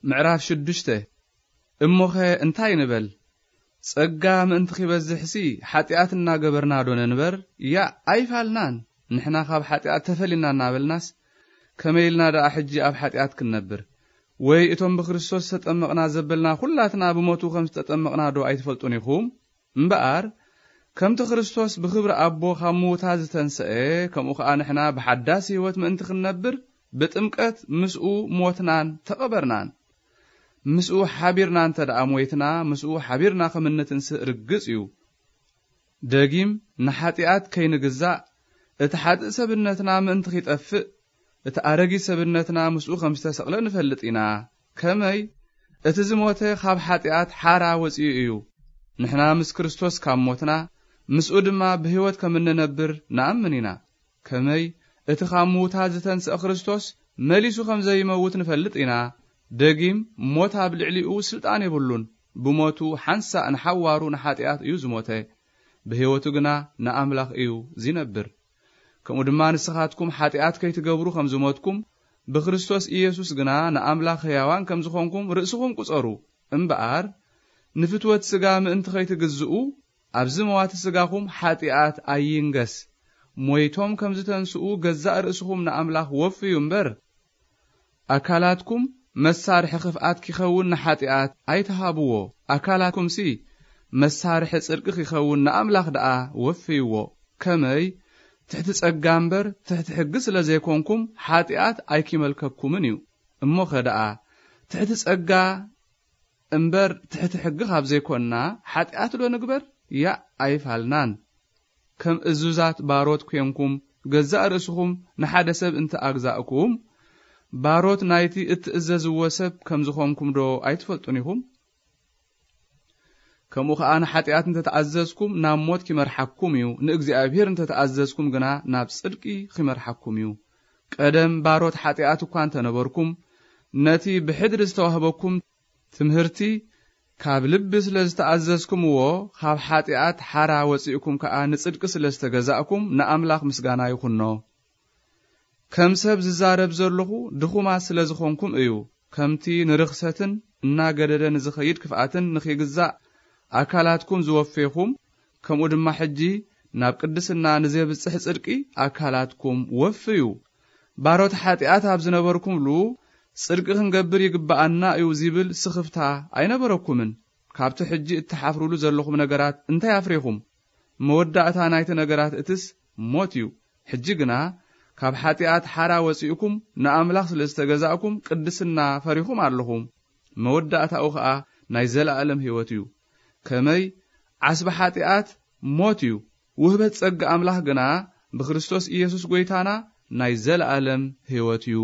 ምዕራፍ ሽዱሽተ። እሞኸ እንታይ ንበል? ጸጋ ምእንቲ ኺበዝሕሲ ሓጢኣት እናገበርና ዶ ነንበር? ያእ ኣይፋልናን። ንሕና ካብ ሓጢኣት ተፈሊና እናበልናስ፣ ከመይ ኢልና ደኣ ሕጂ ኣብ ሓጢኣት ክንነብር? ወይ እቶም ብክርስቶስ ዝተጠመቕና ዘበልና ኹላትና ብሞቱ ከም ዝተጠመቕና ዶ ኣይትፈልጡን ኢኹም? እምበኣር፣ ከምቲ ክርስቶስ ብኽብሪ ኣቦ ካብ ምዉታት ዝተንስአ፣ ከምኡ ኸኣ ንሕና ብሓዳስ ህይወት ምእንቲ ክንነብር፣ ብጥምቀት ምስኡ ሞትናን ተቐበርናን። ምስኡ ሓቢርና እንተ ደኣ ሞይትና፣ ምስኡ ሓቢርና ከም እንትንስእ ርግጽ እዩ። ደጊም ንሓጢኣት ከይንግዛእ፣ እቲ ሓጥእ ሰብነትና ምእንቲ ኺጠፍእ፣ እቲ ኣረጊት ሰብነትና ምስኡ ከም ዝተሰቕለ ንፈልጥ ኢና። ከመይ? እቲ ዝሞተ ኻብ ሓጢኣት ሓራ ወጺኡ እዩ። ንሕና ምስ ክርስቶስ ካብ ሞትና፣ ምስኡ ድማ ብህይወት ከም እንነብር ንኣምን ኢና። ከመይ? እቲ ኻብ ምዉታት ዝተንስአ ክርስቶስ መሊሱ ከም ዘይመውት ንፈልጥ ኢና። ደጊም ሞት ኣብ ልዕሊኡ ስልጣን የብሉን። ብሞቱ ሓንሳእ ንሓዋሩ ንሓጢኣት እዩ ዝሞተ። ብህይወቱ ግና ንኣምላኽ እዩ ዚነብር። ከምኡ ድማ ንስኻትኩም ሓጢኣት ከይትገብሩ ከም ዝሞትኩም፣ ብክርስቶስ ኢየሱስ ግና ንኣምላኽ ሕያዋን ከም ዝኾንኩም ርእስኹም ቁጸሩ። እምበኣር፣ ንፍትወት ስጋ ምእንቲ ኸይትግዝኡ፣ ኣብዚ መዋቲ ስጋኹም ሓጢኣት ኣይንገስ። ሞይቶም ከም ዝተንስኡ ገዛእ ርእስኹም ንኣምላኽ ወፍዩ እምበር፣ ኣካላትኩም መሳርሒ ክፍኣት ኪኸውን ንሓጢኣት ኣይትሃብዎ። ኣካላትኩምሲ መሳርሒ ጽድቂ ኪኸውን ንኣምላኽ ደኣ ወፍይዎ። ከመይ? ትሕቲ ጸጋ እምበር ትሕቲ ሕጊ ስለ ዘይኮንኩም፣ ሓጢኣት ኣይኪመልከኩምን እዩ። እሞኸ ደኣ፣ ትሕቲ ጸጋ እምበር ትሕቲ ሕጊ ካብ ዘይኮንና፣ ሓጢኣት ዶ ንግበር? ያእ ኣይፋልናን። ከም እዙዛት ባሮት ኴንኩም፣ ገዛእ ርእስኹም ንሓደ ሰብ እንተ ኣግዛእኩም፣ ባሮት ናይቲ እትእዘዝዎ ሰብ ከም ዝኾንኩም ዶ ኣይትፈልጡን ኢኹም? ከምኡ ኸኣ ንሓጢኣት እንተ ተኣዘዝኩም፣ ናብ ሞት ኪመርሓኩም እዩ፣ ንእግዚኣብሄር እንተ ተኣዘዝኩም ግና፣ ናብ ጽድቂ ኺመርሓኩም እዩ። ቀደም ባሮት ሓጢኣት እኳ እንተ ነበርኩም፣ ነቲ ብሕድሪ ዝተዋህበኩም ትምህርቲ ካብ ልቢ ስለ ዝተኣዘዝኩምዎ፣ ካብ ሓጢኣት ሓራ ወጺእኩም ከኣ ንጽድቂ ስለ ዝተገዛእኩም፣ ንኣምላኽ ምስጋና ይኹኖ። ከም ሰብ ዝዛረብ ዘለኹ ድኹማት ስለ ዝኾንኩም እዩ። ከምቲ ንርኽሰትን እናገደደ ንዝኸይድ ክፍኣትን ንኺግዛእ ኣካላትኩም ዝወፌኹም፣ ከምኡ ድማ ሕጂ ናብ ቅድስና ንዜብጽሕ ጽድቂ ኣካላትኩም ወፍዩ። ባሮት ሓጢኣት ኣብ ዝነበርኩምሉ፣ ጽድቂ ክንገብር ይግብኣና እዩ ዚብል ስኽፍታ ኣይነበረኩምን። ካብቲ ሕጂ እትሓፍሩሉ ዘለኹም ነገራት እንታይ ኣፍሪኹም? መወዳእታ ናይቲ ነገራት እትስ ሞት እዩ። ሕጂ ግና ካብ ሓጢኣት ሓራ ወጺእኩም ንኣምላኽ ስለ ዝተገዛእኩም ቅድስና ፈሪኹም ኣለኹም። መወዳእታኡ ኸኣ ናይ ዘለኣለም ህይወት እዩ። ከመይ? ዓስቢ ሓጢኣት ሞት እዩ። ውህበት ጸጋ ኣምላኽ ግና ብክርስቶስ ኢየሱስ ጐይታና ናይ ዘለኣለም ህይወት እዩ።